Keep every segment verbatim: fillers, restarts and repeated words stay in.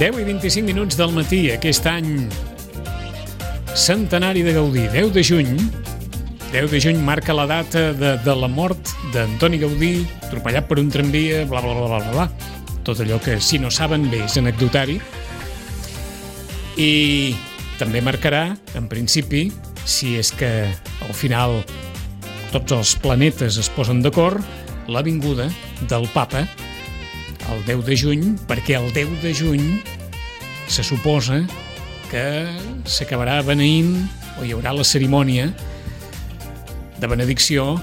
deu i vint-i-cinc minuts del matí, aquest any centenari de Gaudí, deu de juny. deu de juny marca la data de, de la mort d'Antoni Gaudí, atropellat per un tramvia, bla, bla, bla, bla, bla. Tot allò que, si no saben bé, és anecdotari. I també marcarà, en principi, si és que al final tots els planetes es posen d'acord, la vinguda del Papa el deu de juny, perquè el deu de juny se suposa que s'acabarà beneint, o hi haurà la cerimònia de benedicció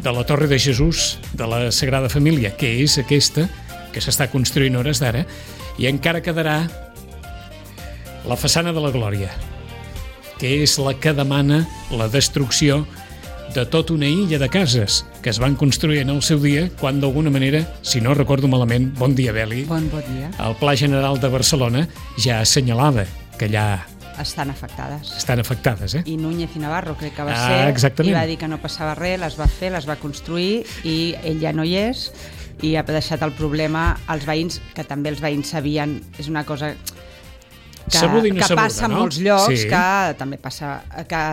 de la Torre de Jesús de la Sagrada Família, que és aquesta que s'està construint hores d'ara, i encara quedarà la façana de la Glòria, que és la que demana la destrucció de tota una illa de cases que es van construir en el seu dia, quan d'alguna manera, si no recordo malament, bon dia, Beli, bon, bon dia. El Pla General de Barcelona ja assenyalava que allà estan afectades. Estan afectades, eh? I Núñez i Navarro, crec que va ah, ser, exactament. I va dir que no passava res, les va fer, les va construir, i ell ja no hi és, i ha deixat el problema als veïns, que també els veïns sabien, és una cosa que, sabuda i no que sabuda, passa en no? molts llocs, sí. que també passa que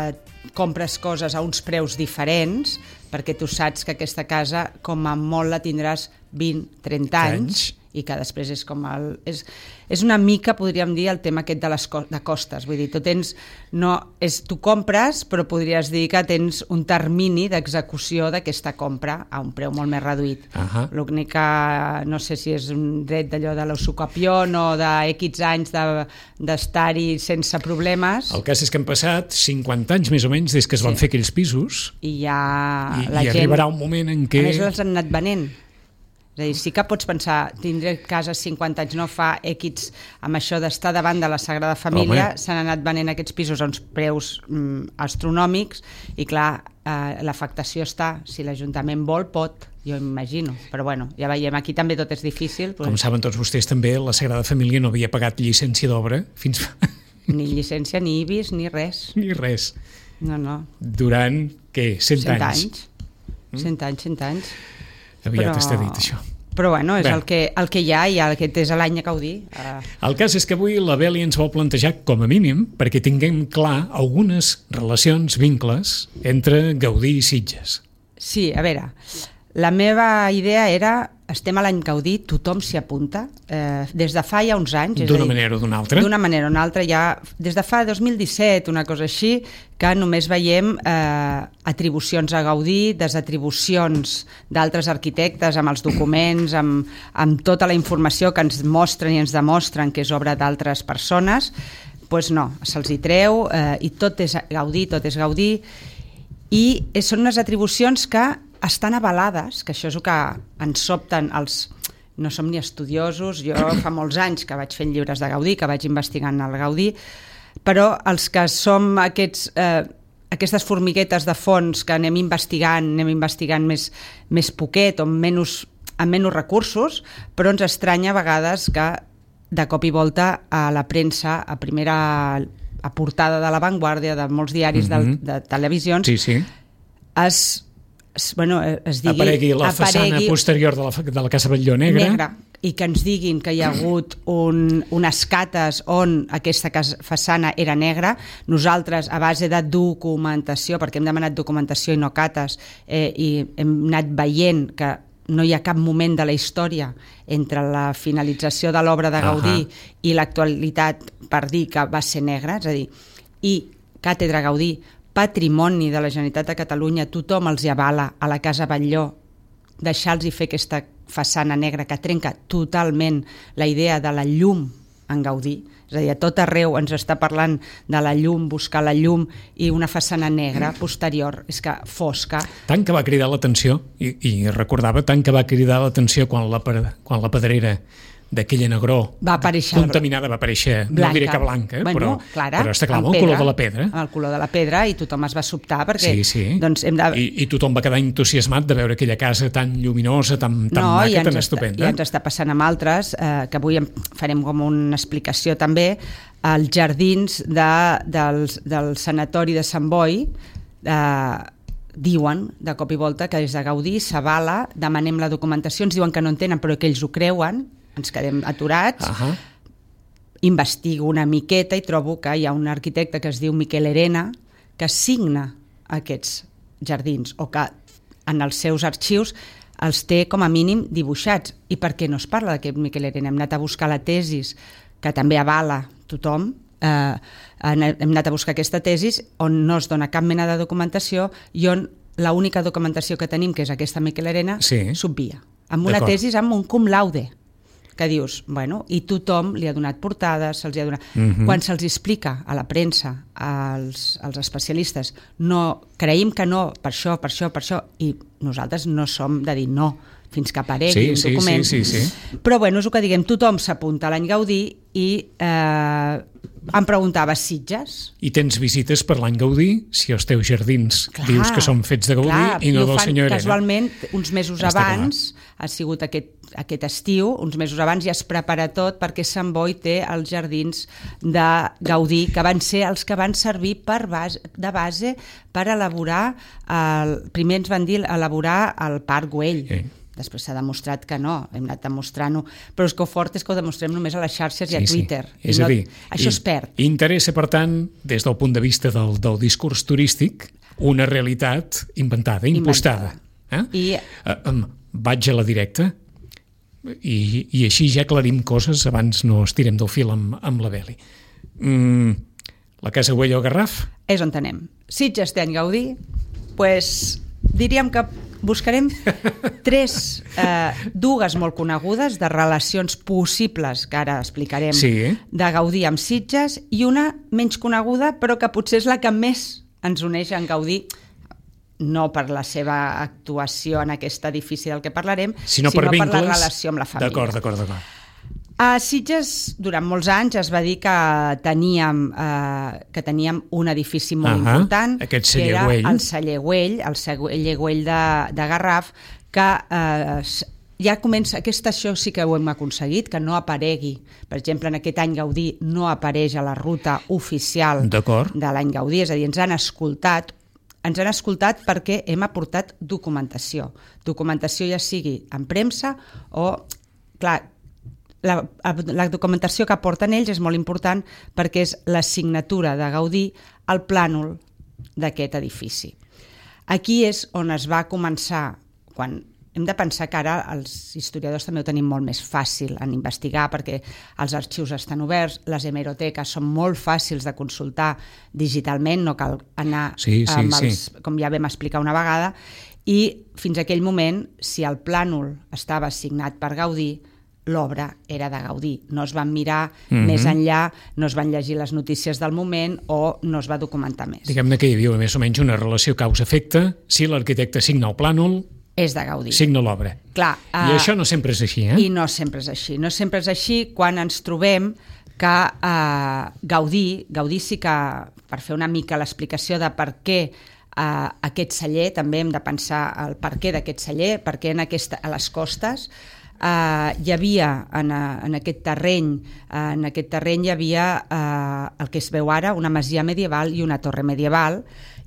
compres coses a uns preus diferents, perquè tu saps que aquesta casa, com a molt, la tindràs vint, trenta anys, i que després és com el... És, és una mica, podríem dir, el tema aquest de les co de costes. Vull dir, tu tens... No, és, tu compres, però podries dir que tens un termini d'execució d'aquesta compra a un preu molt més reduït. Uh -huh. L'únic que no sé si és un dret d'allò de l'usucapión o de X anys d'estar-hi de, sense problemes. El cas és que han passat cinquanta anys més o menys des que es van sí. fer aquells pisos, i ja i, la i gent... arribarà un moment en què... A més, els han anat venent. És a dir, sí que pots pensar, tindré casa cinquanta anys, no fa X, amb això d'estar davant de la Sagrada Família, s'han anat venent aquests pisos a uns preus mm, astronòmics, i clar, eh, l'afectació està, si l'Ajuntament vol, pot, jo imagino, però bueno, ja veiem, aquí també tot és difícil. Com pues... saben tots vostès també, la Sagrada Família no havia pagat llicència d'obra fins fa... Ni llicència, ni I B I S, ni res. Ni res. No, no. Durant, què, cent, cent anys? anys. Mm? Cent anys, cent anys. Aviat però... està dit, això. Però bueno, és Bé. el que, el que hi ha, i aquest és l'any a Gaudí. Uh... El cas és que avui la Beli ens vol plantejar, com a mínim, perquè tinguem clar algunes relacions, vincles, entre Gaudí i Sitges. Sí, a veure, la meva idea era, estem a l'any Gaudí, tothom s'hi apunta, eh, des de fa ja uns anys. D'una manera o d'una altra? D'una manera o d'una altra, ja des de fa dos mil disset, una cosa així, que només veiem eh, atribucions a Gaudí, desatribucions d'altres arquitectes amb els documents, amb, amb tota la informació que ens mostren i ens demostren que és obra d'altres persones. Doncs pues no, se'ls hi treu, eh, i tot és Gaudí, tot és Gaudí, i són unes atribucions que estan avalades, que això és el que ens sobten els... No som ni estudiosos, jo fa molts anys que vaig fent llibres de Gaudí, que vaig investigant el Gaudí, però els que som aquests, eh, aquestes formiguetes de fons que anem investigant, anem investigant més, més poquet o amb menys, amb menys recursos, però ens estranya a vegades que de cop i volta a la premsa, a primera a portada de La Vanguardia, de molts diaris, mm-hmm. de, de televisions, sí, sí. es... Bueno, es digui, aparegui la aparegui façana posterior de la, de la Casa Batlló negra. negra, i que ens diguin que hi ha hagut un, unes cates on aquesta casa, façana era negra. Nosaltres, a base de documentació, perquè hem demanat documentació i no cates, eh, i hem anat veient que no hi ha cap moment de la història entre la finalització de l'obra de Gaudí uh-huh. i l'actualitat per dir que va ser negra, és a dir, i Càtedra Gaudí, patrimoni de la Generalitat de Catalunya, tothom els hi avala a la Casa Batlló, deixar-los fer aquesta façana negra que trenca totalment la idea de la llum en Gaudí. És a dir, a tot arreu ens està parlant de la llum, buscar la llum, i una façana negra posterior, és que fosca. Tant que va cridar l'atenció, i, i recordava tant que va cridar l'atenció quan la, quan la pedrera d'aquella negró va aparèixer contaminada va aparèixer, blanca. No diré que blanca, bueno, però, clara, però està clar, amb el color de la pedra. Amb el color de la pedra, i tothom es va sobtar perquè... Sí, sí. Doncs hem de... I, I tothom va quedar entusiasmat de veure aquella casa tan lluminosa, tan, tan no, maca, tan està, estupenda. I ens està passant amb altres, eh, que avui farem com una explicació també, als jardins de, del, del sanatori de Sant Boi, eh, diuen de cop i volta que des de Gaudí s'avala, demanem la documentació, ens diuen que no en tenen però que ells ho creuen, ens quedem aturats. Uh-huh. Investigo una miqueta i trobo que hi ha un arquitecte que es diu Miquel Herena que signa aquests jardins o que en els seus arxius els té com a mínim dibuixats. I per què no es parla d'aquest Miquel Herena? Hem anat a buscar la tesis, que també avala tothom, eh, hem anat a buscar aquesta tesis on no es dona cap mena de documentació i on l'única documentació que tenim, que és aquesta Miquel Herena, sí. s'obvia. Amb una tesis amb un cum laude, que dius, bueno, i tothom li ha donat portades, se'ls ha donat... Uh-huh. Quan se'ls explica a la premsa, als, als especialistes, no, creïm que no, per això, per això, per això, i nosaltres no som de dir no, fins que aparegui sí, un sí, document. Sí, sí, sí. Però bueno, és el que diguem, tothom s'apunta a l'any Gaudí i eh, em preguntava Sitges. I tens visites per l'any Gaudí, si els teus jardins clar, dius que són fets de Gaudí clar, i no del senyor Herena. Casualment, uns mesos Està abans, clar. ha sigut aquest, aquest estiu, uns mesos abans ja es prepara tot perquè Sant Boi té els jardins de Gaudí, que van ser els que van servir per base, de base per elaborar, el, primer ens van dir elaborar el Parc Güell. Sí. Després s'ha demostrat que no, hem anat demostrant-ho, però és que el fort és que ho demostrem només a les xarxes sí, i a Twitter. Sí. És no, a dir, això es perd. Interessa, per tant, des del punt de vista del, del discurs turístic, una realitat inventada, impostada. Inventada. Eh? I... Uh, um, vaig a la directa i, i així ja aclarim coses, abans no estirem del fil amb, amb la Beli. Mm, la Casa Güell o Garraf? És on anem. Sitges té any Gaudí, pues, diríem que buscarem tres, eh, dues molt conegudes de relacions possibles, que ara explicarem, sí. de Gaudí amb Sitges, i una menys coneguda, però que potser és la que més ens uneix en Gaudí, no per la seva actuació en aquest edifici del que parlarem, sinó, sinó per, per vincles, la relació amb la família. D'acord, d'acord, d'acord. A Sitges, durant molts anys, es va dir que teníem, eh, que teníem un edifici molt uh-huh. important, Aquest que era Güell. el celler Güell, el celler Güell de, de Garraf, que eh, ja comença, aquest això sí que ho hem aconseguit, que no aparegui. Per exemple, en aquest any Gaudí no apareix a la ruta oficial de l'any Gaudí, és a dir, ens han escoltat, ens han escoltat perquè hem aportat documentació. Documentació ja sigui en premsa o, clar, La, la documentació que aporten ells és molt important perquè és la signatura de Gaudí al plànol d'aquest edifici. Aquí és on es va començar, quan hem de pensar que ara els historiadors també ho tenim molt més fàcil en investigar perquè els arxius estan oberts, les hemeroteques són molt fàcils de consultar digitalment, no cal anar sí, sí, amb els, sí. com ja vam explicar una vegada, i fins a aquell moment, si el plànol estava signat per Gaudí, l'obra era de Gaudí. No es van mirar mm-hmm. més enllà, no es van llegir les notícies del moment o no es va documentar més. Diguem-ne que hi havia més o menys una relació causa-efecte. Si l'arquitecte signa el plànol, és de Gaudí. Signa l'obra. Clar, I uh, això no sempre és així, eh? I no sempre és així. No sempre és així quan ens trobem que uh, Gaudí, Gaudí sí que, per fer una mica l'explicació de per què uh, aquest celler, també hem de pensar el per què d'aquest celler, perquè en aquesta, a les costes Uh, hi havia en, en aquest terreny uh, en aquest terreny hi havia uh, el que es veu ara, una masia medieval i una torre medieval,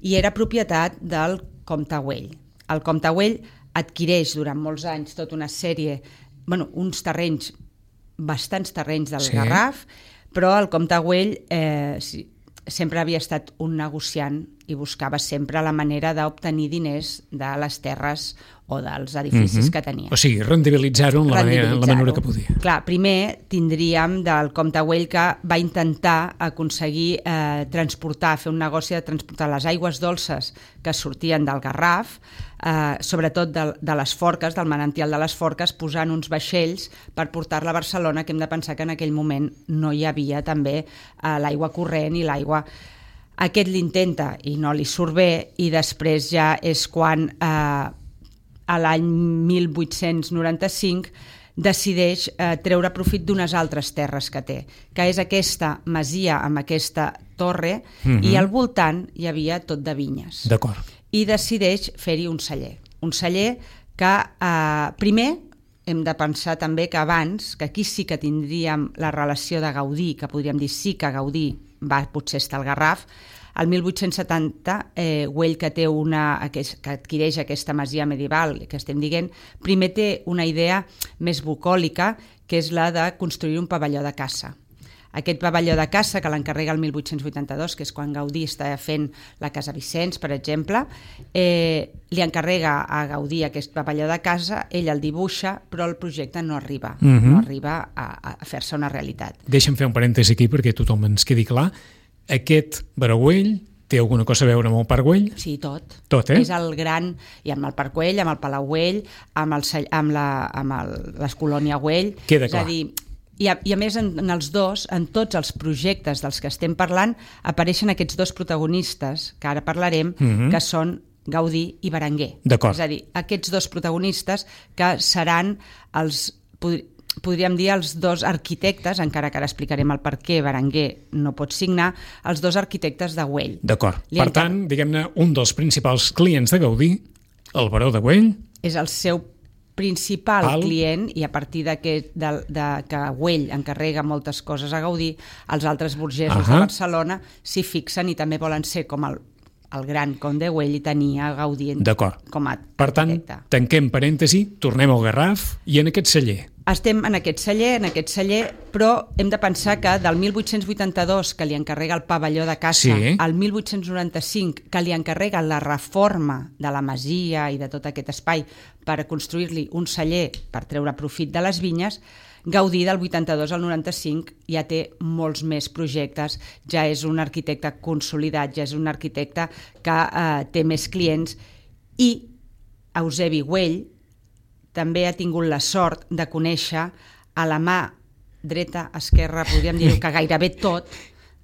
i era propietat del comte Güell. El comte Güell adquireix durant molts anys tota una sèrie, bueno, uns terrenys, bastants terrenys del sí. Garraf, però el comte Güell eh, sempre havia estat un negociant i buscava sempre la manera d'obtenir diners de les terres o dels edificis mm-hmm. que tenia. O sigui, rendibilitzar-ho en la manera, la manera que podia. Clar, primer tindríem del comte Güell que va intentar aconseguir eh, transportar, fer un negoci de transportar les aigües dolces que sortien del Garraf, eh, sobretot de, de les Forques, del manantial de les Forques, posant uns vaixells per portar-la a Barcelona, que hem de pensar que en aquell moment no hi havia també eh, l'aigua corrent i l'aigua... Aquest l'intenta i no li surt bé, i després ja és quan eh, a l'any mil vuit-cents noranta-cinc decideix eh, treure profit d'unes altres terres que té, que és aquesta masia amb aquesta torre, mm-hmm. i al voltant hi havia tot de vinyes. D'acord. I decideix fer-hi un celler. Un celler que eh, primer hem de pensar també que abans, que aquí sí que tindríem la relació de Gaudí, que podríem dir sí que Gaudí va potser estar al Garraf, el mil vuit-cents setanta, eh, Güell, que, té una, que adquireix aquesta masia medieval que estem dient, primer té una idea més bucòlica, que és la de construir un pavelló de caça. Aquest pavelló de caça, que l'encarrega el mil vuit-cents vuitanta-dos, que és quan Gaudí està fent la Casa Vicenç, per exemple, eh, li encarrega a Gaudí aquest pavelló de caça, ell el dibuixa, però el projecte no arriba, uh-huh. no arriba a, a fer-se una realitat. Deixa'm fer un parèntesi aquí perquè tothom ens quedi clar. Aquest Baró Güell té alguna cosa a veure amb el Parc Güell? Sí, tot. Tot, eh? És el gran... I amb el Parc Güell, amb el Palau Güell, amb, el, amb, la, amb el, les Colònia Güell... Queda clar. És a dir, I a, I a més, en, en els dos, en tots els projectes dels que estem parlant, apareixen aquests dos protagonistes, que ara parlarem, uh-huh. que són Gaudí i Berenguer. D'acord. És a dir, aquests dos protagonistes que seran els... podríem dir els dos arquitectes, encara que ara explicarem el per què Berenguer no pot signar, els dos arquitectes de Güell. D'acord. Per encara... tant, diguem-ne, un dels principals clients de Gaudí, el Baró de Güell... És el seu principal el... client, i a partir de que, de, de que Güell encarrega moltes coses a Gaudí, els altres burgesos uh-huh. de Barcelona s'hi fixen i també volen ser com el, el gran conde Güell i tenia Gaudí com a arquitecte. Per tant, tanquem parèntesi, tornem al Garraf i en aquest celler. Estem en aquest celler, en aquest celler, però hem de pensar que del mil vuit-cents vuitanta-dos, que li encarrega el pavelló de caça, sí. al mil vuit-cents noranta-cinc, que li encarrega la reforma de la masia i de tot aquest espai per construir-li un celler per treure profit de les vinyes, Gaudí del vuitanta-dos al noranta-cinc ja té molts més projectes, ja és un arquitecte consolidat, ja és un arquitecte que eh, té més clients, i Eusebi Güell també ha tingut la sort de conèixer a la mà dreta, esquerra, podríem dir que gairebé tot,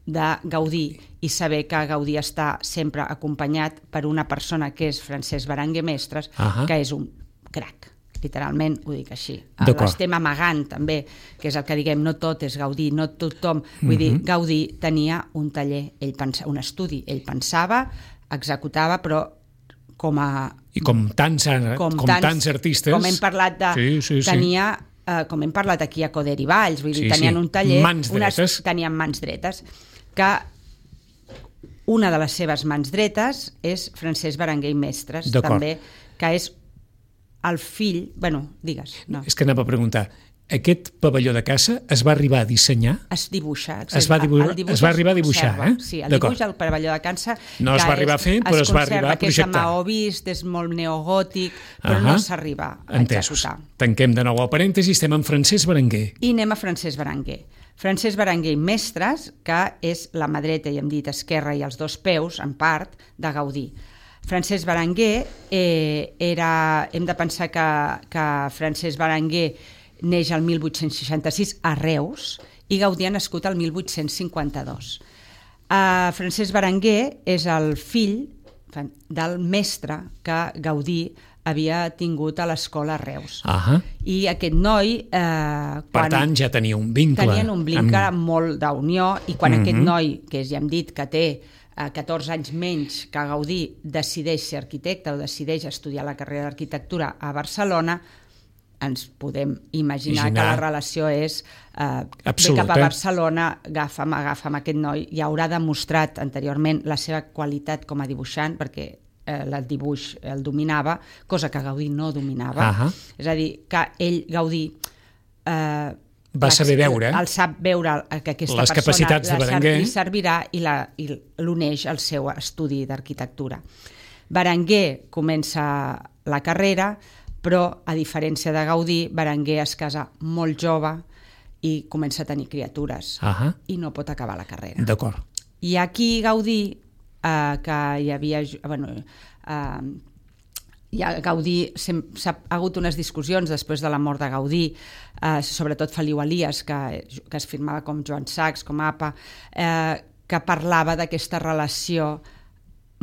de Gaudí, i saber que Gaudí està sempre acompanyat per una persona que és Francesc Berenguer Mestres, uh-huh. que és un crac, literalment ho dic així. L'estem amagant també, que és el que diguem, no tot és Gaudí, no tothom, vull uh-huh. dir, Gaudí tenia un taller, ell pensa, un estudi, ell pensava, executava, però com a... I com tants, com com tants, tants artistes... Com hem parlat de... Sí, sí, sí. Tenia, eh, com hem parlat aquí a Coder i Valls, vull dir, sí, tenien sí. un taller... Mans dretes. Unes, tenien mans dretes. Que una de les seves mans dretes és Francesc Berenguer i Mestres, també, que és el fill... Bueno, digues. No. És que anava a preguntar... Aquest pavelló de caça es va arribar a dissenyar? Es dibuixa. Es va, dibuixar, es va arribar a dibuixar, eh? Sí, el dibuix del pavelló de caça... No es va arribar a fer, però es va arribar a projectar. Que és de maó vist, és molt neogòtic, però uh-huh. no s'arriba a Entesos. executar. Tanquem de nou el parèntesi, estem amb Francesc Berenguer. I anem a Francesc Berenguer. Francesc Berenguer i Mestres, que és la mà dreta i hem dit esquerra i els dos peus, en part, de Gaudí. Francesc Berenguer eh, era... Hem de pensar que, que Francesc Berenguer neix el mil vuit-cents seixanta-sis a Reus i Gaudí ha nascut el mil vuit-cents cinquanta-dos. Uh, Francesc Berenguer és el fill del mestre que Gaudí havia tingut a l'escola a Reus. Uh-huh. I aquest noi... Eh, per quan tant, ja tenia un vincle. Tenien un vincle amb... molt d'unió, i quan uh-huh. aquest noi, que ja hem dit que té eh, catorze anys menys que Gaudí, decideix ser arquitecte o decideix estudiar la carrera d'arquitectura a Barcelona, ens podem imaginar, imaginar. que la relació és eh, Absolut, ve cap a Barcelona, agafa'm, agafa'm aquest noi, i haurà demostrat anteriorment la seva qualitat com a dibuixant, perquè eh, el dibuix el dominava, cosa que Gaudí no dominava. Uh-huh. És a dir, que ell, Gaudí, eh, va saber veure, el sap veure que aquesta les capacitats de Berenguer li servirà i, la, i l'uneix al seu estudi d'arquitectura. Berenguer comença la carrera, però, a diferència de Gaudí, Berenguer es casa molt jove i comença a tenir criatures uh-huh. i no pot acabar la carrera. D'acord. I aquí Gaudí, eh, que hi havia... Bueno, eh, ja Gaudí s'ha hagut unes discussions després de la mort de Gaudí, eh, sobretot Feliu Elias, que, que es firmava com Joan Sachs, com A P A, eh, que parlava d'aquesta relació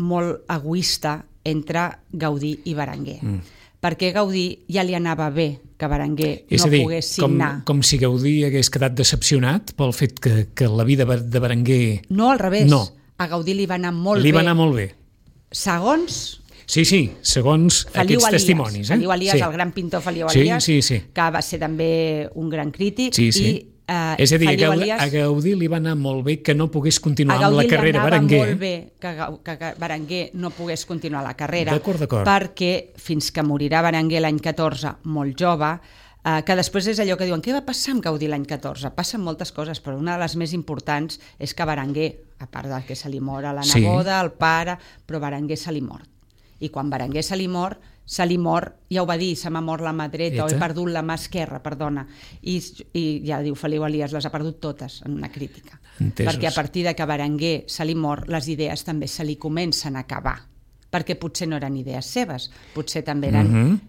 molt egoista entre Gaudí i Berenguer. Mm. Perquè Gaudí ja li anava bé que Berenguer és no dir, pogués signar. Com, com si Gaudí hagués quedat decepcionat pel fet que, que la vida de Berenguer... No, al revés. No. A Gaudí li va anar molt li bé. Li va anar molt bé. Segons... Sí, sí, segons Feliu aquests Elias, testimonis. Eh? Feliu Elias, sí. el gran pintor Feliu Elias, sí, sí, sí. que va ser també un gran crític, sí, sí. i Uh, és a dir, a Gaudí, Elias, a Gaudí li va anar molt bé que no pogués continuar amb la carrera Berenguer. A Gaudí li anava molt bé que, que, que Berenguer no pogués continuar la carrera, d'acord, d'acord. perquè fins que morirà Berenguer l'any catorze, molt jove, uh, que després és allò que diuen, què va passar amb Gaudí l'any catorze? Passen moltes coses, però una de les més importants és que Berenguer, a part de que se li mor a la neboda, sí. el pare, però Berenguer se li mor. I quan Berenguer se li mor, se li mor, ja ho va dir, se m'ha mort la mà dreta o he perdut la mà esquerra, perdona. I, i ja diu Feliu Elias, les ha perdut totes en una crítica. Entesos. Perquè a partir de que Berenguer se li mor, les idees també se li comencen a acabar. Perquè potser no eren idees seves, potser també eren mm-hmm.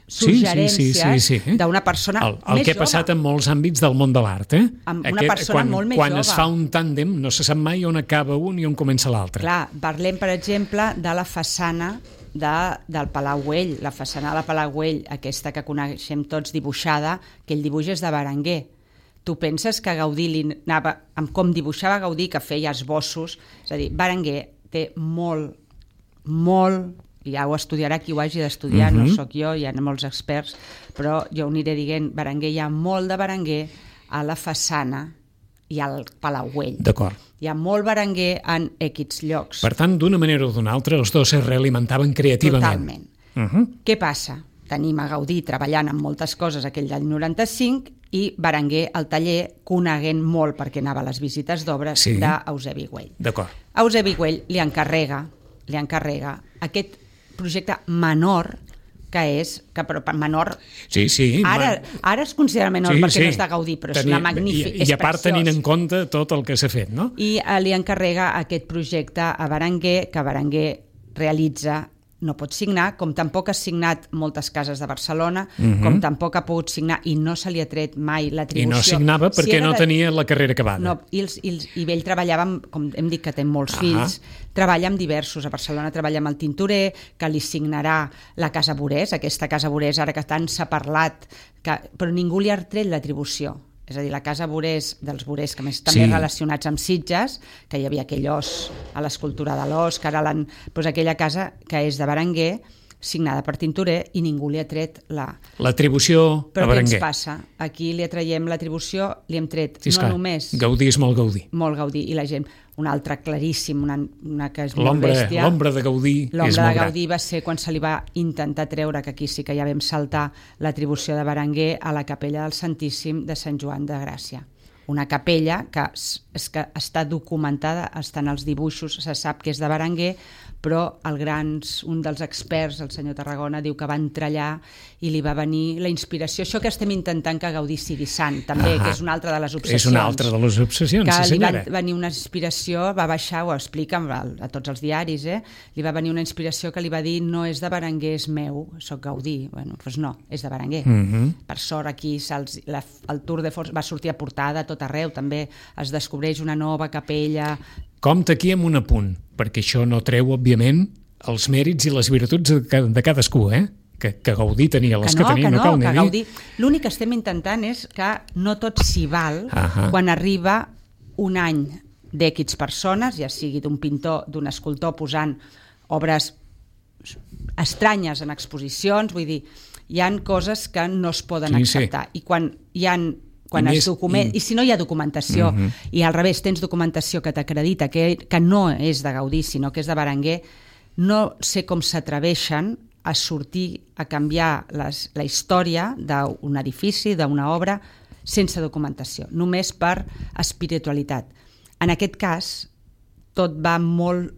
suggerències sí, sí, sí, sí, sí. d'una persona el, el més que ha passat en molts àmbits del món de l'art, eh? Amb una Aquest, persona quan, molt més quan jove. Quan es fa un tàndem no se sap mai on acaba un i on comença l'altre. Clar, parlem, per exemple, de la façana de, del Palau Güell, la façana de la Palau Güell, aquesta que coneixem tots dibuixada, que el dibuix és de Berenguer. Tu penses que Gaudí li anava, amb com dibuixava Gaudí, que feia esbossos, és a dir, Berenguer té molt, molt, ja ho estudiarà qui ho hagi d'estudiar, uh-huh. no sóc jo, hi ha molts experts, però jo ho aniré dient, Berenguer, hi ha molt de Berenguer a la façana i al Palau Güell. D'acord. Hi ha molt Berenguer en X llocs. Per tant, d'una manera o d'una altra, els dos es realimentaven creativament. Totalment. Uh-huh. Què passa? Tenim a Gaudí treballant en moltes coses aquell d'any noranta-cinc i Berenguer al taller coneguent molt, perquè anava a les visites d'obres, sí. d'Eusebi Güell. D'acord. Eusebi Güell li encarrega, li encarrega aquest projecte menor que és, que però menor sí, sí, ara, ara es considera menor sí, perquè sí. no és de Gaudí, però Tenir, és una magnífica, i, i a part tenint en compte tot el que s'ha fet, no? I eh, li encarrega aquest projecte a Berenguer, que Berenguer realitza, no pot signar, com tampoc ha signat moltes cases de Barcelona, uh-huh. com tampoc ha pogut signar i no se li ha tret mai l'atribució. I no signava perquè si no de... tenia la carrera acabada. No, i, els, i, els, i ell treballava, amb, com hem dit que té molts uh-huh. fills, treballa amb diversos. A Barcelona treballa amb el tintorer, que li signarà la Casa Borés, aquesta Casa Borés ara que tant s'ha parlat, que, però ningú li ha tret l'atribució. És a dir, la Casa Borés, dels Borés, que més també sí. relacionats amb Sitges, que hi havia aquell os a l'escultura de l'os, que ara l'han... Doncs aquella casa que és de Berenguer, signada per tintorer, i ningú li ha tret la... l'atribució Però a Berenguer. Però què ens passa? Aquí li atraiem l'atribució, li hem tret sí, no clar. només... Gaudí és molt Gaudí. Molt Gaudí, i la gent... Un altre claríssim, una, una que és molt bèstia. L'ombra de Gaudí és molt gran. L'ombra de Gaudí va ser quan se li va intentar treure, que aquí sí que ja vam saltar, l'atribució de Berenguer a la capella del Santíssim de Sant Joan de Gràcia. Una capella que, és que està documentada, estan els dibuixos, se sap que és de Berenguer, però el grans, un dels experts, el senyor Tarragona, diu que va entrar allà i li va venir la inspiració. Això que estem intentant que Gaudí sigui sant, també, ah, que és una altra de les obsessions. És una altra de les obsessions, que sí senyora. Li va venir una inspiració, va baixar, ho explica a, a tots els diaris, eh? Li va venir una inspiració que li va dir no és de Berenguer, és meu, soc Gaudí. Bueno, doncs no, és de Berenguer. Mm-hmm. Per sort aquí la, el Tour de Force va sortir a portada a tot arreu, també es descobreix una nova capella. Compte aquí amb un apunt, perquè això no treu, òbviament, els mèrits i les virtuts de, de cadascú, eh? Que, que Gaudí tenia les que, no, que tenia, que no, no cal que Gaudí... L'únic que estem intentant és que no tot s'hi val uh-huh. quan arriba un any d'X persones, ja sigui d'un pintor, d'un escultor posant obres estranyes en exposicions, vull dir, hi han coses que no es poden sí, acceptar. Sí. I quan hi han quan I es document, i... i si no hi ha documentació uh-huh. i al revés tens documentació que t'acredita que, que no és de Gaudí sinó que és de Berenguer, no sé com s'atreveixen a sortir a canviar les, la història d'un edifici, d'una obra sense documentació, només per espiritualitat. En aquest cas tot va molt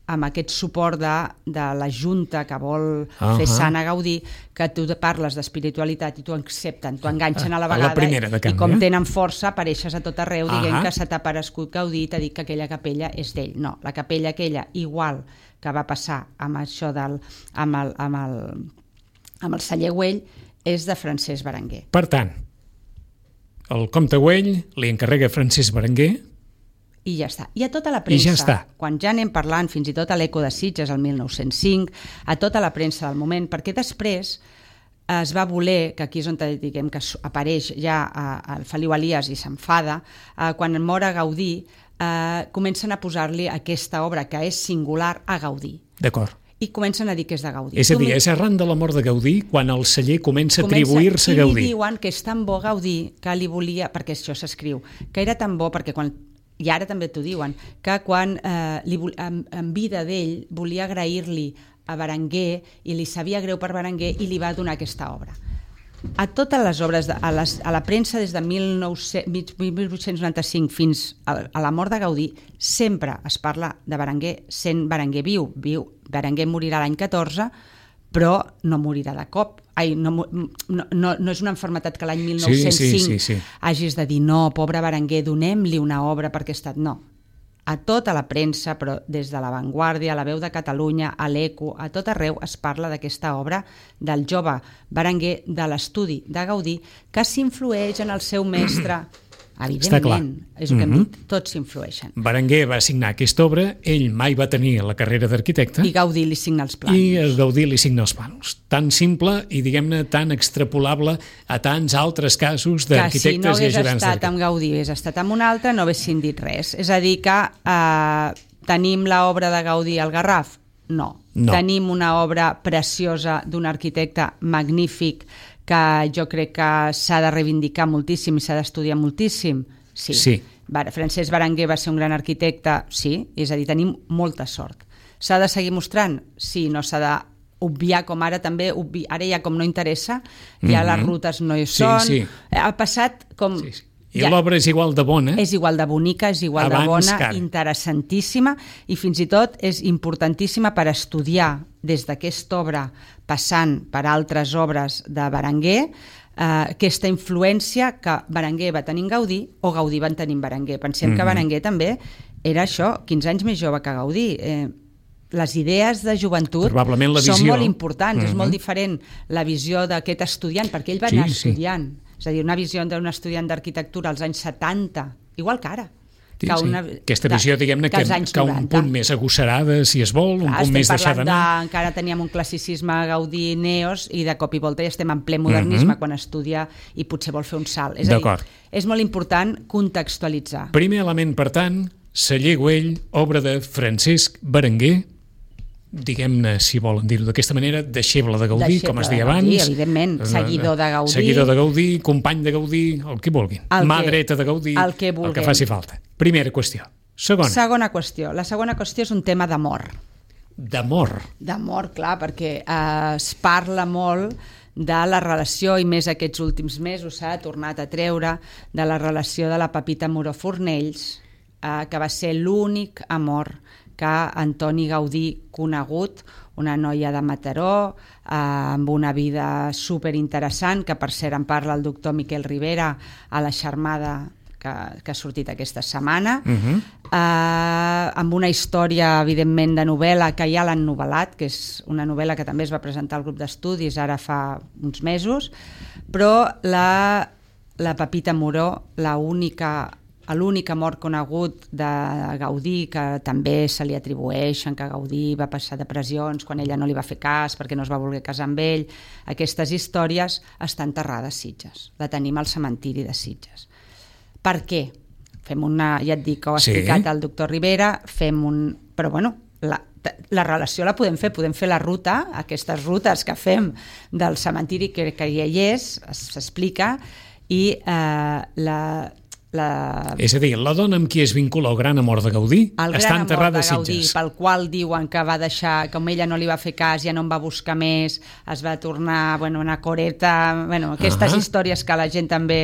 amb aquest suport de, de la Junta que vol uh-huh. fer sant a Gaudí, que tu parles d'espiritualitat i t'ho accepten, t'ho enganxen a la vegada, a la primera, de canvi, i com eh? tenen força apareixes a tot arreu uh-huh. dient que se t'ha aparegut Gaudí i t'ha dit que aquella capella és d'ell. No, la capella aquella, igual que va passar amb això del, amb, el, amb, el, amb el celler Güell, és de Francesc Berenguer. Per tant, el comte Güell li encarrega Francesc Berenguer i ja està. I a tota la premsa, ja quan ja anem parlant fins i tot a l'Eco de Sitges el mil nou-cents cinc, a tota la premsa del moment, perquè després es va voler, que aquí és on diguem que apareix ja el Feliu Elias i s'enfada, eh, quan mor a Gaudí, eh, comencen a posar-li aquesta obra que és singular a Gaudí. D'acord. i comencen a dir que és de Gaudí. És a dir, és arran de la mort de Gaudí quan el celler comença a atribuir-se a I Gaudí. li diuen que és tan bo Gaudí que li volia, perquè això s'escriu, que era tan bo perquè quan, i ara també t'ho diuen, que quan eh, li, en, en vida d'ell volia agrair-li a Berenguer i li sabia greu per Berenguer i li va donar aquesta obra. A totes les obres, de, a, les, a la premsa des de mil vuit-cents noranta-cinc fins a, a la mort de Gaudí, sempre es parla de Berenguer sent Berenguer viu. viu. Berenguer morirà l'any catorze, però no morirà de cop. Ai, no, no, no, no és una malaltia que l'any mil nou-cents cinc sí, sí, sí, sí. hagis de dir no, pobre Berenguer, donem-li una obra perquè ha estat... No. A tota la premsa, però des de La Vanguardia, a La Veu de Catalunya, a l'Eco, a tot arreu es parla d'aquesta obra del jove Berenguer, de l'estudi de Gaudí, que s'influeix en el seu mestre. Evidentment, és el que hem dit, tots s'influeixen. Berenguer va signar aquesta obra, ell mai va tenir la carrera d'arquitecte. I Gaudí li signa els plans. I Gaudí li signa els plans. Tan simple i, diguem-ne, tan extrapolable a tants altres casos d'arquitectes i ajudants d'arquitectes. Que si no hagués estat amb Gaudí, hagués estat amb un altre, no haguessin dit res. És a dir que eh, tenim l'obra de Gaudí al Garraf? No. no. Tenim una obra preciosa d'un arquitecte magnífic que jo crec que s'ha de reivindicar moltíssim i s'ha d'estudiar moltíssim. Sí. sí. Francesc Berenguer va ser un gran arquitecte, sí, és a dir, tenim molta sort. S'ha de seguir mostrant? Sí, no s'ha d'obviar com ara també, obvi... ara ja com no interessa, ja mm-hmm. les rutes no hi són, sí, sí. ha passat com... Sí, sí. I ja, l'obra és igual de bona. És igual de bonica, és igual Abans de bona, cara. interessantíssima i fins i tot és importantíssima per estudiar des d'aquesta obra, passant per altres obres de Berenguer, eh, aquesta influència que Berenguer va tenir en Gaudí o Gaudí va tenir en Berenguer. Pensem mm-hmm. que Berenguer també era això, quinze anys més jove que Gaudí. Eh, les idees de joventut són molt importants, mm-hmm. és molt diferent la visió d'aquest estudiant, perquè ell va sí, anar estudiant. Sí. És a dir, una visió d'un estudiant d'arquitectura als anys setanta, igual que ara. Sí, que sí. Una, Aquesta visió, diguem-ne, que, que un punt més agosarada, si es vol, un Clar, punt més deixada anar. De, encara teníem un classicisme Gaudí Neos i de cop i volta ja estem en ple modernisme mm-hmm. quan estudia i potser vol fer un salt. És a dir, és molt important contextualitzar. Primer element, per tant, Celler Güell, obra de Francesc Berenguer, diguem-ne, si volen dir-ho d'aquesta manera, deixeble de Gaudí, deixeble com es deia abans. Gaudí, evidentment, seguidor de Gaudí. Seguidor de Gaudí, company de Gaudí, el que vulguin. El Mà que, dreta de Gaudí, el que, el que faci falta. Primera qüestió. Segona. Segona qüestió. La segona qüestió és un tema d'amor. D'amor. D'amor, clar, perquè eh, es parla molt de la relació, i més aquests últims mesos s'ha tornat a treure, de la relació de la Pepita Moró Fornells, eh, que va ser l'únic amor que Antoni Gaudí conegut, una noia de Mataró, eh, amb una vida superinteressant, que per cert en parla el doctor Miquel Rivera a la xermada que, que ha sortit aquesta setmana, uh-huh. eh, amb una història, evidentment, de novel·la que ja l'han novel·lat, que és una novel·la que també es va presentar al grup d'estudis ara fa uns mesos, però la, la Pepita Moró, la única l'únic amor conegut de Gaudí, que també se li atribueixen que Gaudí va passar depressions quan ella no li va fer cas perquè no es va voler casar amb ell, aquestes històries està enterrada a Sitges, la tenim al cementiri de Sitges. Per què? Fem una, ja et dic que ho ha explicat sí. el doctor Rivera, fem un... però bueno, la, la relació la podem fer, podem fer la ruta, aquestes rutes que fem del cementiri que, que ja hi és, s'explica, i eh, la... La... És a dir, la dona amb qui es vincula el gran amor de Gaudí està enterrada a Sitges. Pel qual diuen que va deixar, com ella no li va fer cas, ja no en va buscar més, es va tornar bueno, una coreta, bueno, aquestes uh-huh. històries que la gent també...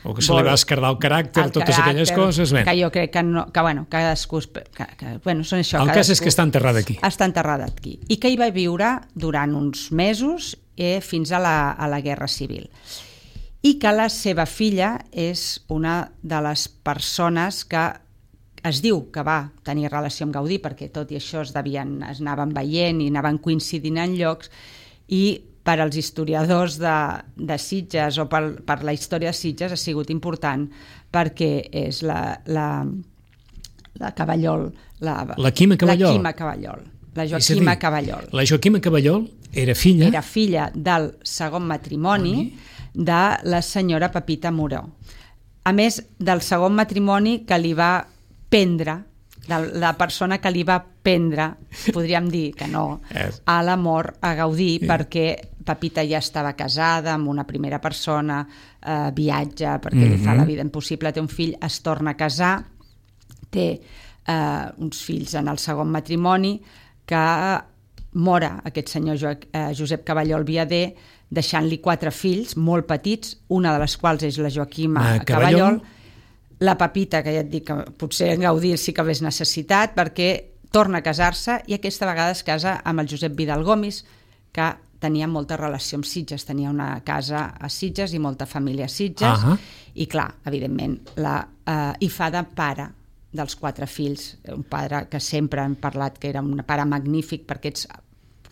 O que se vol, li va esquerdar el caràcter, el totes caràcter, aquelles coses. Ben. Que jo crec que, no, que bueno, cadascú... Que, que, bueno, són això, el cas és que està enterrada aquí. Està enterrada aquí. I que hi va viure durant uns mesos eh, fins a la, a la Guerra Civil. I que la seva filla és una de les persones que es diu que va tenir relació amb Gaudí, perquè tot i això es, devien, es anaven veient i anaven coincidint en llocs, i per als historiadors de, de Sitges o per, per la història de Sitges ha sigut important perquè és la, la, la Cavallol, la, la Quima Cavallol. La Quima Cavallol. La Joaquima dir, Cavallol. La Joaquima Cavallol era filla... Era filla del segon matrimoni de la senyora Pepita Moró. A més del segon matrimoni que li va prendre de la persona que li va prendre, podríem dir que no, a l'amor a Gaudí, yeah. perquè Pepita ja estava casada amb una primera persona, eh, viatja perquè mm-hmm. li fa la vida impossible, té un fill, es torna a casar, té eh, uns fills en el segon matrimoni, que mora aquest senyor jo, eh, Josep Caballol Viader, deixant-li quatre fills molt petits, una de les quals és la Joaquima ah, Caballol, la Pepita, que ja et dic que potser en Gaudí sí que hagués necessitat, perquè torna a casar-se i aquesta vegada es casa amb el Josep Vidal Gomis, que tenia molta relació amb Sitges, tenia una casa a Sitges i molta família a Sitges, uh-huh. i clar, evidentment, la, eh, hi fa de pare dels quatre fills, un pare que sempre hem parlat que era un pare magnífic per aquests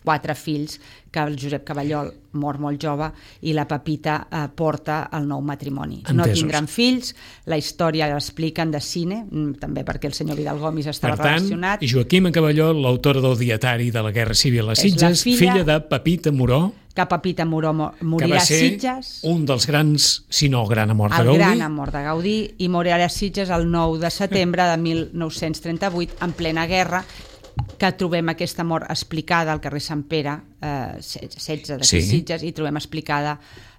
quatre fills, que el Josep Caballol mor molt jove i la Pepita eh, porta el nou matrimoni. Entesos. No tindran fills, la història l'expliquen de cine, també perquè el senyor Vidal Gomis estava per tant, relacionat. Joaquima Caballol, l'autora del Dietari de la Guerra Civil a Sitges, filla, filla de Pepita Moró, que Pepita Moró morirà a Sitges. Un dels grans, si no el gran amor de el Gaudí. El gran amor de Gaudí, i morirà a Sitges el nou de setembre de mil nou-cents trenta-vuit, en plena guerra, que trobem aquesta mort explicada al carrer Sant Pere, eh, setze de sí. Sitges, i trobem explicada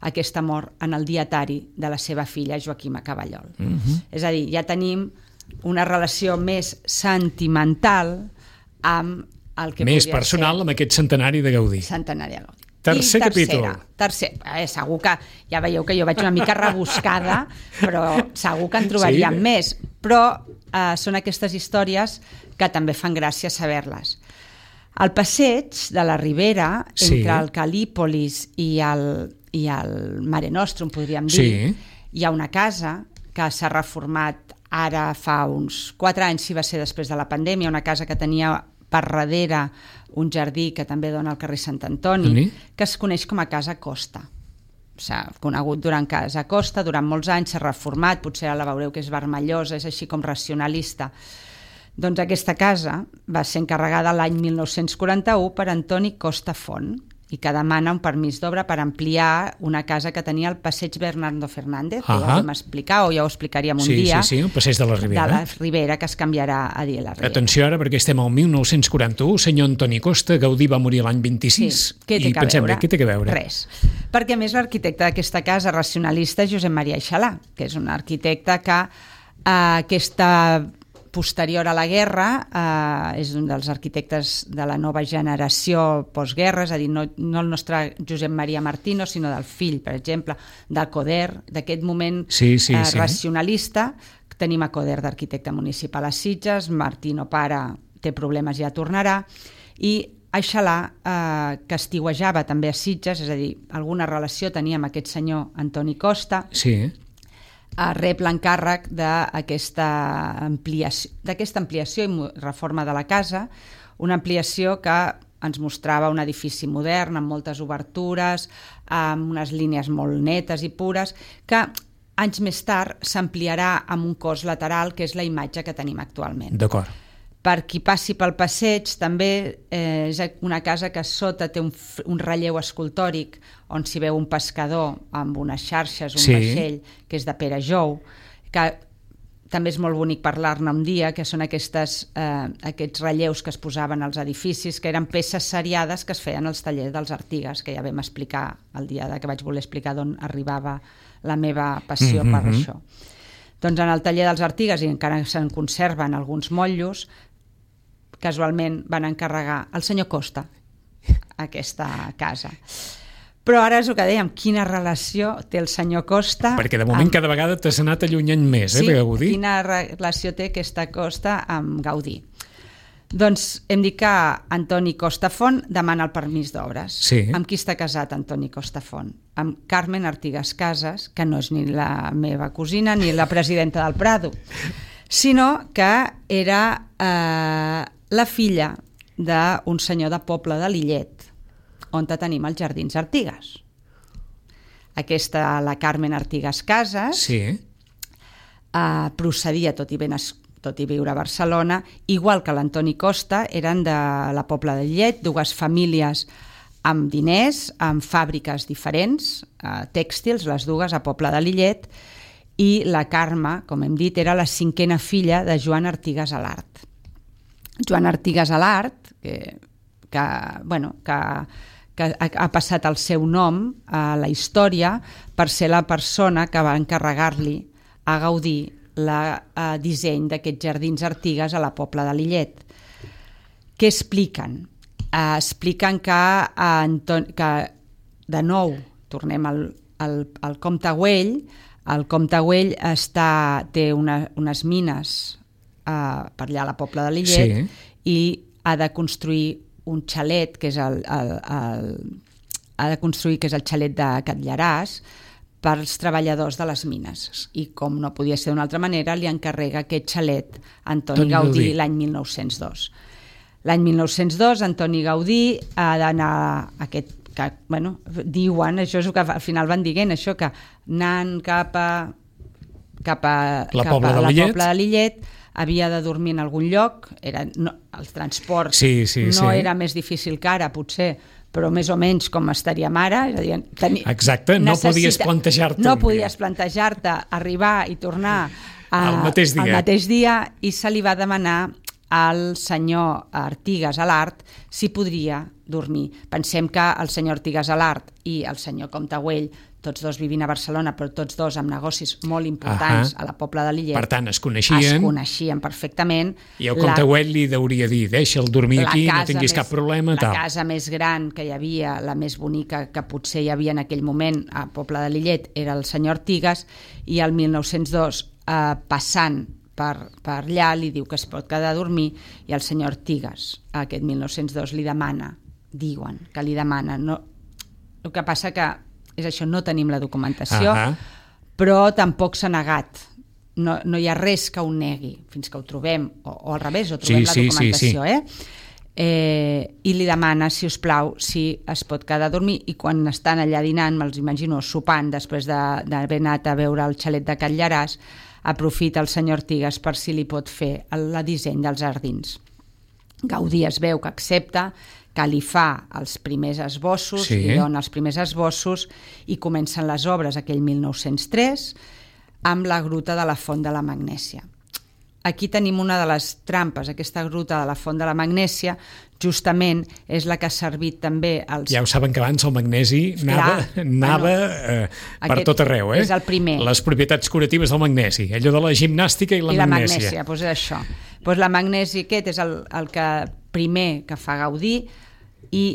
aquesta mort en el dietari de la seva filla Joaquima Caballol. Uh-huh. És a dir, ja tenim una relació més sentimental amb el que més personal ser... amb aquest centenari de Gaudí. Centenari de Gaudí. Tercer capítol. Tercer, eh, segur que, ja veieu que jo vaig una mica rebuscada, però segur que en trobaríem sí. més. Però eh, són aquestes històries que també fan gràcia saber-les. Al passeig de la Ribera, sí. entre el Calípolis i el, i el Mare Nostrum, podríem dir, sí. hi ha una casa que s'ha reformat ara fa uns quatre anys, si va ser després de la pandèmia, una casa que tenia per darrere un jardí que també dona al carrer Sant Antoni, sí. que es coneix com a Casa Costa. S'ha conegut durant Casa Costa, durant molts anys s'ha reformat, potser ara la veureu que és vermellosa, és així com racionalista. Doncs aquesta casa va ser encarregada l'any mil nou-cents quaranta-u per Antoni Costa Font i que demana un permís d'obra per ampliar una casa que tenia al passeig Bernardo Fernández, que uh-huh. ja ho vam explicar, o ja ho explicaríem un sí, dia. Sí, sí, el passeig de la Ribera. De la Ribera, que es canviarà a dir la Ribera. Atenció ara, perquè estem al mil nou-cents quaranta-u, senyor Antoni Costa, Gaudí va morir l'any vint-i-sis, sí. Què té i que pensem, veure? Què té que veure? Res. Perquè a més l'arquitecte d'aquesta casa racionalista és Josep Maria Aixalà, que és un arquitecte que eh, aquesta posterior a la guerra, eh, és un dels arquitectes de la nova generació postguerra, és a dir, no, no el nostre Josep Maria Martino, sinó del fill, per exemple, de Coder, d'aquest moment sí, sí, eh, sí. racionalista. Tenim a Coder d'arquitecte municipal a Sitges, Martino pare té problemes i ja tornarà, i Aixalà, eh, que estiuejava també a Sitges, és a dir, alguna relació tenia amb aquest senyor Antoni Costa, sí. rep l'encàrrec d'aquesta ampliació, d'aquesta ampliació i reforma de la casa, una ampliació que ens mostrava un edifici modern, amb moltes obertures, amb unes línies molt netes i pures, que anys més tard s'ampliarà amb un cos lateral, que és la imatge que tenim actualment. D'acord. Per qui passi pel passeig, també eh, és una casa que sota té un, un relleu escultòric on s'hi veu un pescador amb unes xarxes, un sí. vaixell, que és de Pere Jou, que també és molt bonic parlar-ne un dia, que són aquestes, eh, aquests relleus que es posaven als edificis, que eren peces seriades que es feien als tallers dels Artigues, que ja vam explicar el dia que vaig voler explicar d'on arribava la meva passió mm-hmm. per això. Doncs en el taller dels Artigues, i encara se'n conserven alguns motllos, casualment van encarregar al senyor Costa aquesta casa. Però ara és el que dèiem, quina relació té el senyor Costa... Perquè de moment amb... cada vegada t'has anat allunyant més, eh, sí, Gaudí? Quina relació té aquesta Costa amb Gaudí. Doncs hem dit que Antoni Costa Font demana el permís d'obres. Sí. Amb qui està casat Antoni Costa Font? Amb Carmen Artigas Casas, que no és ni la meva cosina ni la presidenta del Prado, sinó que era eh, la filla d'un senyor de poble de Lillet, on tenim els Jardins Artigues. Aquesta, la Carmen Artigas Casas, sí. eh, procedia, tot i, ben es, tot i viure a Barcelona, igual que l'Antoni Costa, eren de la Pobla de Lillet, dues famílies amb diners, amb fàbriques diferents, eh, tèxtils, les dues a Pobla de Lillet, i la Carme, com hem dit, era la cinquena filla de Joan Artigas Alart, Joan Artigas Alart, que, que, bueno, que, que ha, ha passat el seu nom a la història per ser la persona que va encarregar-li a Gaudí el disseny d'aquests jardins Artigas a la Pobla de Lillet. Què expliquen? Uh, expliquen que, uh, Anton, que de nou tornem al, al, al Comte Güell. El Comte Güell està, té una, unes mines uh, per allà a la Pobla de Lillet, sí. I ha de construir un xalet, que és el, el, el, ha de construir que és el xalet de Catllaràs, per als treballadors de les mines. I com no podia ser d'una altra manera, li encarrega aquest xalet a Antoni Gaudí l'any mil nou-cents dos. L'any mil nou-cents dos, Antoni Gaudí ha d'anar a aquest, que, bueno, diuen, això és el que al final van dient, això que anant cap a, cap a la cap Pobla a de la Lillet, Pobla de Lillet, havia de dormir en algun lloc, era, no, el transport sí, sí, no sí. era més difícil que ara, potser, però més o menys com estaríem ara. És a dir, tenir, exacte, no necessita, podies plantejar-te no podies plantejar-te arribar i tornar a, al mateix dia. al mateix dia, i se li va demanar al senyor Artigas Alart si podria dormir. Pensem que el senyor Artigas Alart i el senyor Comte Güell, tots dos vivint a Barcelona, però tots dos amb negocis molt importants uh-huh. a la Pobla de Lillet. Per tant, es coneixien. Es coneixien perfectament. I el Comte Güell li deuria dir, deixa'l dormir aquí, no tinguis més, cap problema. La tal. casa més gran que hi havia, la més bonica que potser hi havia en aquell moment a Pobla de Lillet, era el senyor Artigas, i el mil nou-cents dos, eh, passant per, per allà, li diu que es pot quedar a dormir, i el senyor Artigas, aquest mil nou-cents dos, li demana, diuen que li demana, no, el que passa que és això, no tenim la documentació, uh-huh. però tampoc s'ha negat, no, no hi ha res que ho negui, fins que ho trobem, o, o al revés, o trobem sí, la sí, documentació, sí, sí. eh? Eh, i li demana, si us plau, si es pot quedar a dormir, i quan estan allà dinant, me'ls imagino sopant, després d'haver anat a veure el xalet de Catllaràs, aprofita el senyor Artigas per si li pot fer el, el disseny dels jardins. Gaudí es veu que accepta, que li fa els primers esbossos, sí. li dona els primers esbossos, i comencen les obres aquell mil nou-cents tres amb la gruta de la Font de la Magnèsia. Aquí tenim una de les trampes, aquesta gruta de la Font de la Magnèsia, justament és la que ha servit també als... Ja ho saben que abans el magnesi anava, Clar, anava bueno, eh, per tot arreu, eh? És el primer. Les propietats curatives del magnesi, allò de la gimnàstica i la I magnèsia. I la magnèsia, doncs és això. Doncs la magnèsia aquest és el, el que primer que fa Gaudí, i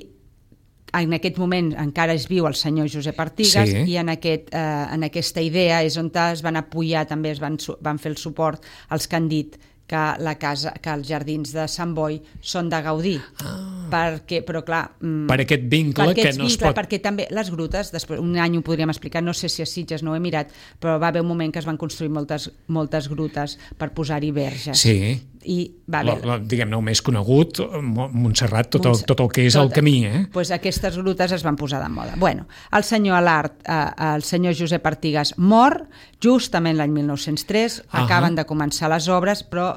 en aquest moment encara és viu el senyor Josep Artigas, sí. i en, aquest, eh, en aquesta idea és on es van apoyar, també es van, van fer el suport als que han dit que, la casa, que els jardins de Sant Boi són de Gaudí. Ah. Perquè, però clar... Per aquest vincle per que no vincle, es pot... Perquè també les grutes, després, un any ho podríem explicar, no sé si a Sitges no ho he mirat, però va haver un moment que es van construir moltes, moltes grutes per posar-hi verges. Sí. I va haver... La, la, diguem-ne, el més conegut, Montserrat, tot el, tot el que és tot, el camí, eh? Pues aquestes grutes es van posar de moda. Bueno, el senyor Alart, eh, el senyor Josep Artigas mor, justament l'any mil nou-cents tres, uh-huh. acaben de començar les obres, però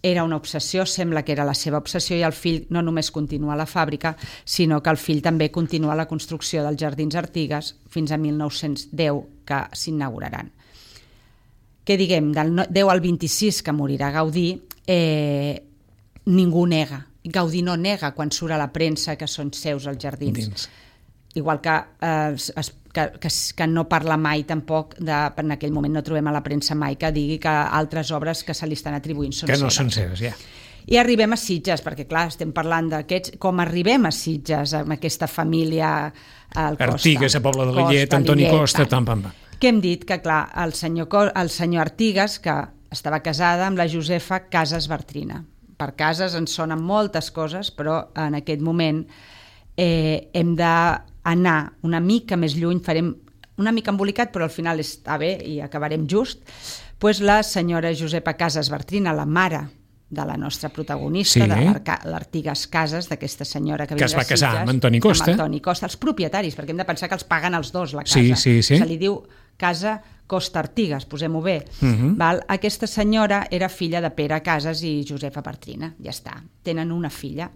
era una obsessió, sembla que era la seva obsessió, i el fill no només continua la fàbrica, sinó que el fill també continua la construcció dels jardins Artigas fins a mil nou-cents deu, que s'inauguraran. Què diguem, del deu al vint-i-sis, que morirà Gaudí, eh, ningú nega. Gaudí no nega quan surt a la premsa que són seus els jardins. Dins. Igual que, eh, es, que, que, que no parla mai tampoc, de, en aquell moment no trobem a la premsa mai que digui que altres obres que se li estan atribuint són que no seves. són seves, ja. I arribem a Sitges, perquè clar, estem parlant d'aquests, com arribem a Sitges amb aquesta família al Costa. Artigas, a Pobla de Lillet, Antoni Costa, tam, pam, pam. Que hem dit que clar, el senyor, el senyor Artigas, que estava casada amb la Josefa Casas Bartrina. Per cases ens sonen moltes coses, però en aquest moment eh, hem de anar una mica més lluny, farem una mica embolicat, però al final està bé i acabarem just, pues la senyora Josepa Casas Bartrina, la mare de la nostra protagonista, sí. de l'Artigas Casas, d'aquesta senyora que, que es va casar Sitges, amb Antoni Costa. Amb Antoni Costa, els propietaris, perquè hem de pensar que els paguen els dos, la casa. Sí, sí, sí. Se li diu Casa Costa Artigas, posem-ho bé. Uh-huh. Val? Aquesta senyora era filla de Pere Casas i Josefa Bartrina, ja està. Tenen una filla.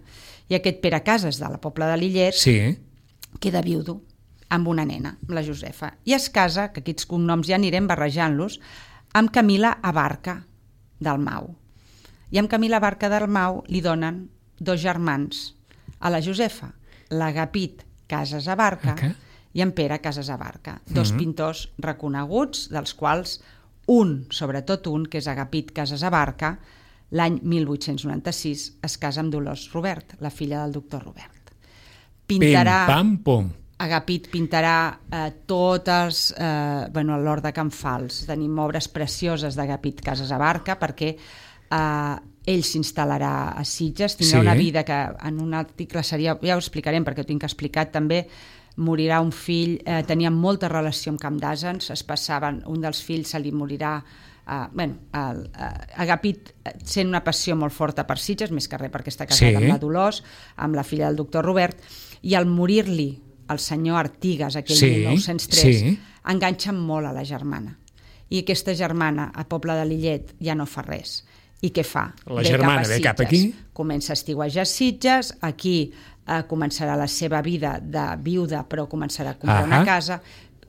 I aquest Pere Casas, de la Pobla de Lillet, sí. queda viudo amb una nena, amb la Josefa, i es casa, que aquests cognoms ja anirem barrejant-los, amb Camila Abarca del Mau. I en Camí la Barca Dalmau li donen dos germans a la Josefa, l'Agapit Casas Abarca okay. i en Pere Casas Abarca, dos mm-hmm. pintors reconeguts, dels quals un, sobretot un, que és Agapit Casas Abarca, l'any mil vuit-cents noranta-sis es casa amb Dolors Robert, la filla del doctor Robert. Pintarà... Pim, pam, pom. Agapit pintarà eh, totes, eh, bueno, a l'Hort de Can Fals. Tenim obres precioses d'Agapit Casas Abarca perquè eh, ell s'instal·larà a Sitges, tindrà sí. una vida que en un article seria, ja ho explicarem perquè ho tinc explicat també, morirà un fill, eh, tenia molta relació amb Camp d'Àsens, es passaven, un dels fills se li morirà, eh, bueno, el, eh, Agapit sent una passió molt forta per Sitges, més que res perquè està casat sí. amb la Dolors, amb la filla del doctor Robert, i al morir-li el senyor Artigas, aquell sí, mil nou-cents tres, sí. enganxa molt a la germana. I aquesta germana, a Poble de Lillet, ja no fa res. I què fa? La ve germana ve cap aquí? Comença a estiuejar a Sitges, aquí eh, començarà la seva vida de viuda, però començarà a comprar uh-huh. una casa.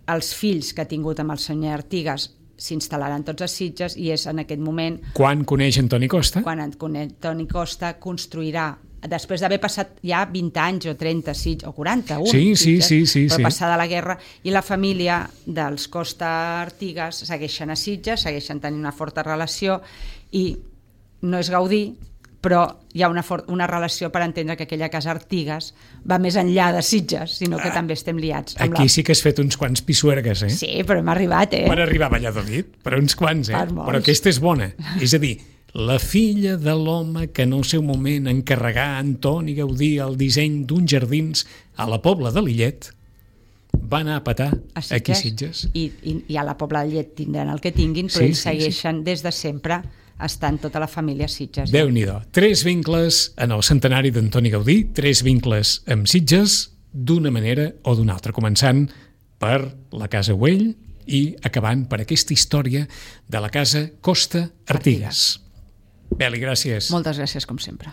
Els fills que ha tingut amb el senyor Artigas s'instal·laran tots a Sitges i és en aquest moment... Quan coneix Antoni Costa? Quan Antoni Costa construirà, després d'haver passat ja vint anys o trenta Sitges, o quaranta-un sí, Sitges, sí, sí, sí, però sí. passada la guerra, i la família dels Costa Artigas segueixen a Sitges, segueixen tenint una forta relació i no és Gaudí, però hi ha una, for- una relació per entendre que aquella casa Artigas va més enllà de Sitges, sinó que ah, també estem liats. Amb aquí la... sí que has fet uns quants pisuergues, eh? Sí, però hem arribat, eh? Per arribar a Valladolid, per uns quants, eh? Per però aquesta és bona. És a dir, la filla de l'home que en el seu moment encarregà a Antoni Gaudí el disseny d'uns jardins a la Pobla de Lillet va anar a petar a Sitges. Aquí a Sitges. I, i, I a la Pobla de Lillet tindran el que tinguin, però sí, ells sí, segueixen sí. des de sempre estant tota la família a Sitges. Déu-n'hi-do. Tres vincles en el centenari d'Antoni Gaudí, tres vincles amb Sitges, d'una manera o d'una altra, començant per la Casa Güell i acabant per aquesta història de la Casa Costa Artigas. Beli, gràcies. Moltes gràcies, com sempre.